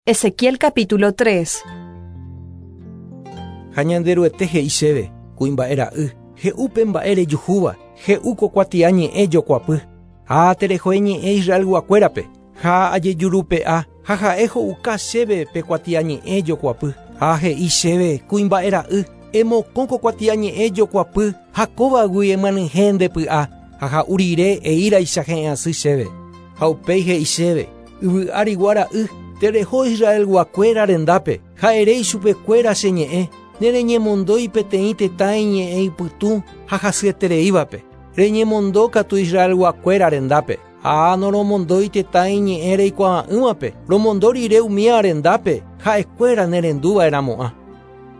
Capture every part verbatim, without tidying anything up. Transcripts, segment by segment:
Ezequiel capítulo tres. Ha Ñanderuete he'i chéve, kuimba'e ra'y, he'úpe mba'e rejuhúva, he'u ko kuatiañe'ẽ jokuapy. Ha tereho eñe'ẽ Israelguakuérape, ha ajejurupe'a, ha ha'e ho'uka chéve pe kuatiañe'ẽ jokuapy. Ha he'i chéve, kuimba'e ra'y, emokõ ko kuatiañe'ẽ jokuapy, ha kóvagui emyanyhẽ ndepy'a, ha ha'u rire eíraicha he'ẽasy chéve. Ha upéi he'i chéve, yvy arigua ra'y, tereho Israelguakuéra rendápe, ha ere ichupekuéra che ñe'ẽ, nereñemondói peteĩ tetã iñe'ẽ ipytũ ha hasyetereívape. Reñemondo katu Israelguakuéra rendápe. Ha noromondói tetã iñe'ẽ reikuaa'ỹvape, romondo rire umíva rendápe, ha'ekuéra nerenduva'erãmo'ã.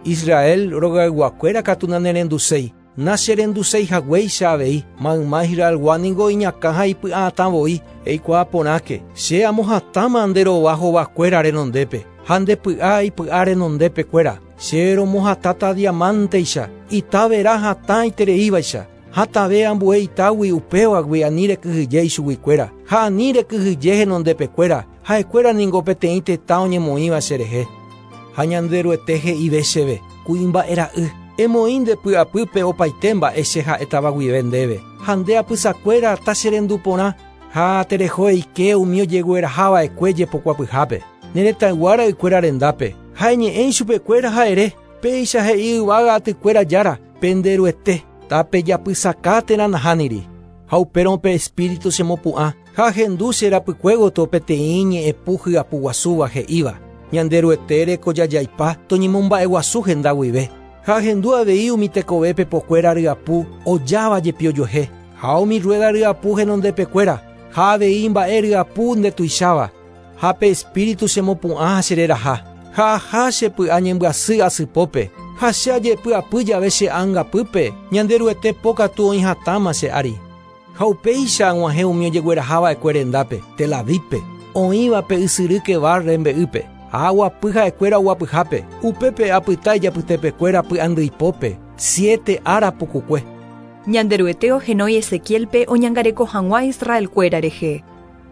Israel rogayguakuéra katu nanerenduséi, nacherenduséi haguéicha avei, mayma Israelgua ningo iñakã ha ipy'atãvoi, eikuaa porãke, che amohatãma nde rova hovakuéra renondépe, ha nde py'a ipy'a renondépekuéra, che romohatãta diamanteicha, ita vera hatã itereívaicha, hatãve ambue itágui upévagui ani rekyhyje ichuguikuéra, ha ani rekyhyje henondépekuéra, ha'ekuéra ningo peteĩ tetã oñemoĩva cherehe. Ha Ñanderuete he'ive chéve, kuimba'e ra'y, emoĩ nde py'apýpe opaite mba'e che ha'étava guive ndéve, ha nde apysakuéra tacherendu porã, ha tereho eike umi ojeguerahava'ekue jepokuapyhápe, neretãygua ra'ykuéra rendápe, ha eñe'ẽ ichupekuéra ha ere, péicha he'i yvága atykuéra jára, penderuete, tapejapysaka térã nahániri. Ha upérõ pe espíritu chemopu'ã, ha ahendu che rapykuégoto peteĩ ñe'ẽpu hyapuguasúva he'íva, Ñanderuete rekojajaipa toñemomba'eguasu henda guive. Ha ahendu avei umi tekove pepokuéra ryapu ojáva jepi ojuehe, ha umi rueda ryapu henondepekuéra, ha avei mba'e ryapu ndetuicháva, ha pe espíritu chemopu'ã ha chereraha, ha aha chepy'a ñembyasy asypópe, ha che ajepy'apy jave che ãngapýpe, Ñanderuete pokatu oĩ hatãma che ári. Ha upéicha ag̃uahẽ umi ojeguerahava'ekue rendápe, Tel Avípe, oĩva pe ysyry Kebar rembe'ýpe, ha aguapy ha'ekuéra oguapyhápe, upépe apyta ijapytepekuéra py'andýipópe, siete ára pukukue. Ñanderuete ohenói Ezequielpe oñangareko hag̃ua Israelkuéra rehe.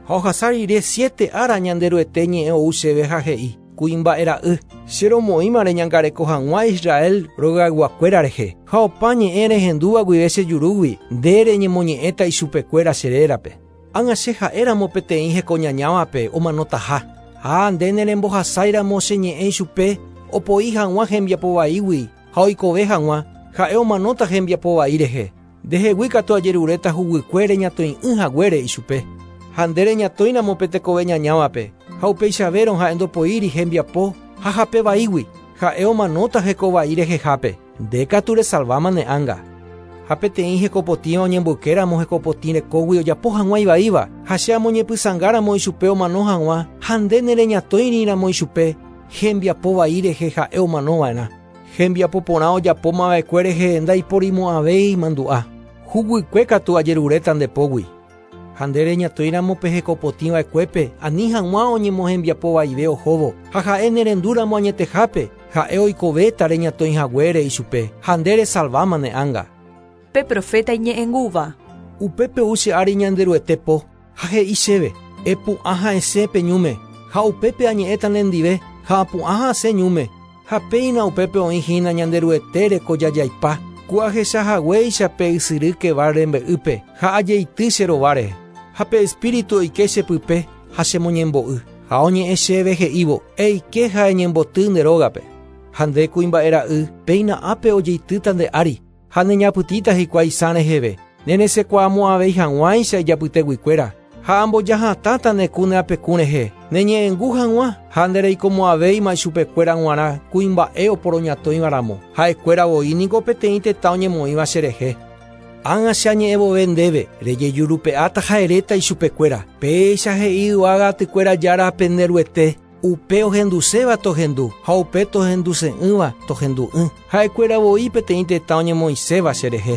Ha ohasa rire siete ára Ñanderuete ñe'ẽ ou chéve ha he'i, kuimba'e ra'y, che romoĩma reñangareko hag̃ua Israel rogayguakuéra rehe, ha opa ñe'ẽ rehendúva guive che jurúgui, nde reñemoñe'ẽta ichupekuéra che rérape. Ág̃a che ha'éramo peteĩ hekoñañávape omanotaha, ha nde nerembohasáiramo che ñe'ẽ ichupe, opoi hag̃ua hembiapovaígui ha oikove hag̃ua, ha'e omanóta hembiapovai rehe. Ndehegui katu ajeruréta huguykue reñatoi'ỹ haguére ichupe. Ha nde reñatoĩramo pe tekove ñañávape, ha upeichavérõ ha'e ndopoíri hembiapo ha hapevaígui, ha'e omanóta hekovai rehehápe, nde katu resalváma ne ánga. Ha peteĩ hekopotĩva oñemboykéramo hekopotĩ rekógui ojapo hag̃ua ivaíva, ha che amoñepysãngáramo ichupe omano hag̃ua, ha nde nereñatoĩriramo ichupe, hembiapovai rehe ha'e omanova'erã. Hembiapo porã ojapómava'ekue rehe ndaiporimo'ãvéi mandu'a. Huguykue katu ajeruréta ndepógui. Ha nde reñatoĩramo pe hekopotĩva'ekuépe, ani hag̃ua oñemohembiapovaive ohóvo, ha ha'e nerendúramo añetehápe, ha'e oikovéta reñatoĩ haguére ichupe, ha nde resalváma ne ánga. Pe profeta iñe'ẽngúva. Upépe ou che ári Ñanderuete po, ha he'i chéve, epu'ã ha'esẽ pe ñúme, ha upépe añe'ẽta nendive, ha apu'ã ha'asẽ ñúme, ha péina upépe oĩhína Ñanderuete rekojajaipa, ku ahecha haguéicha pe ysyry Kebar rembe'ýpe, ha ajeity che rováre. Ha pe espíritu oike chepype, ha chemoñembo'y, ha oñe'ẽ chéve he'ívo, eike ha eñemboty nde rógape. Ha nde kuimba'e ra'y, péina ápe ojeitýta nde ári, ha neñapytĩta hikuái sã reheve, neresẽkuaamo'ãvéi hag̃uáicha ijapyteguikuéra, ha ambojahatãta ne ku ne apekũ rehe, neñe'ẽngu hag̃ua, ha ndereikomo'ãvéima ichupekuéra g̃uarã kuimba'e oporoñatõivaramo, ha'ekuéra voi niko peteĩ tetã oñemoĩva cherehe. Ág̃a che añe'ẽvove ndéve, rejejurupe'áta ha eréta ichupekuéra, péicha he'i yvága atykuéra jára penderuete, upe ohenduséva tohendu, ha upe tohenduse'ỹva tohendu'ỹ, ha'ekuéra voi peteĩ tetã oñemoĩséva cherehe.